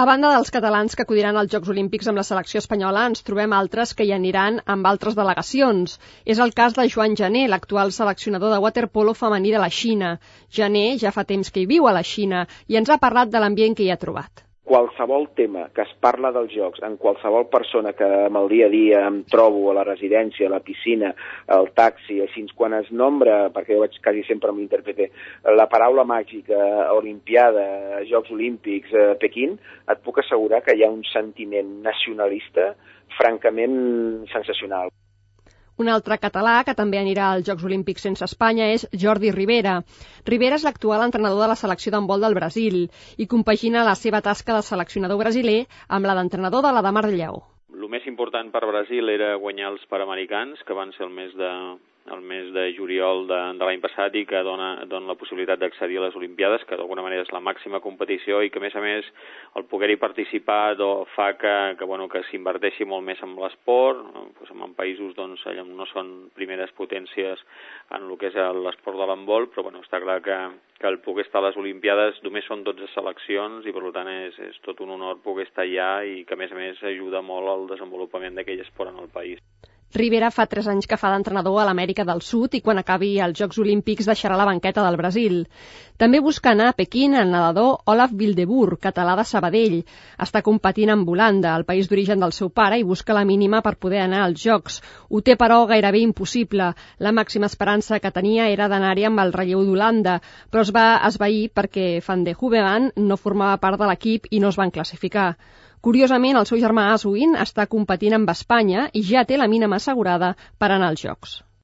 A banda dels catalans que acudiran als Jocs Olímpics amb la selecció espanyola, ens trobem altres que hi aniran amb altres delegacions. És el cas de Joan Gené, l'actual seleccionador de waterpolo femení de la Xina. Gené ja fa temps que hi viu a la Xina i ens ha parlat de l'ambient que hi ha trobat. Qualsevol tema que es parla dels Jocs, en qualsevol persona que amb el dia a dia em trobo a la residència, a la piscina, al taxi, així, quan es nombra, perquè jo vaig quasi sempre amb l'intèrprete, la paraula màgica, Olimpiada, Jocs Olímpics, Pequín, et puc assegurar que hi ha un sentiment nacionalista francament sensacional. Un altre català que també anirà als Jocs Olímpics sense Espanya és Jordi Ribera. Ribera és l'actual entrenador de la selecció d'handbol del Brasil i compagina la seva tasca de seleccionador brasiler amb la d'entrenador de la de Mar del Lleó. El més important per Brasil era guanyar els Panamericans, que van ser el mes de juliol de l'any passat i que dona la possibilitat d'accedir a les Olimpiades, que d'alguna manera és la màxima competició i que, a més, el poder-hi participar fa que s'inverteixi molt més en l'esport, en països allà no són primeres potències en el que és l'esport de l'handbol, però està clar que el poder estar a les Olimpiades només són 12 seleccions i per tant és tot un honor poder estar allà i que a més ajuda molt al desenvolupament d'aquell esport en el país. Ribera fa 3 anys que fa d'entrenador a l'Amèrica del Sud i quan acabi els Jocs Olímpics deixarà la banqueta del Brasil. També busca anar a Pequín el nedador Olaf Wildeboer, català de Sabadell. Està competint amb Holanda, el país d'origen del seu pare, i busca la mínima per poder anar als Jocs. Ho té, però, gairebé impossible. La màxima esperança que tenia era d'anar-hi amb el relleu d'Holanda, però es va esvair perquè Van de Hoeven no formava part de l'equip i no es van classificar. Curiosament, el seu germà Aswin està competint amb Espanya i ja té la mínima assegurada per anar als Jocs.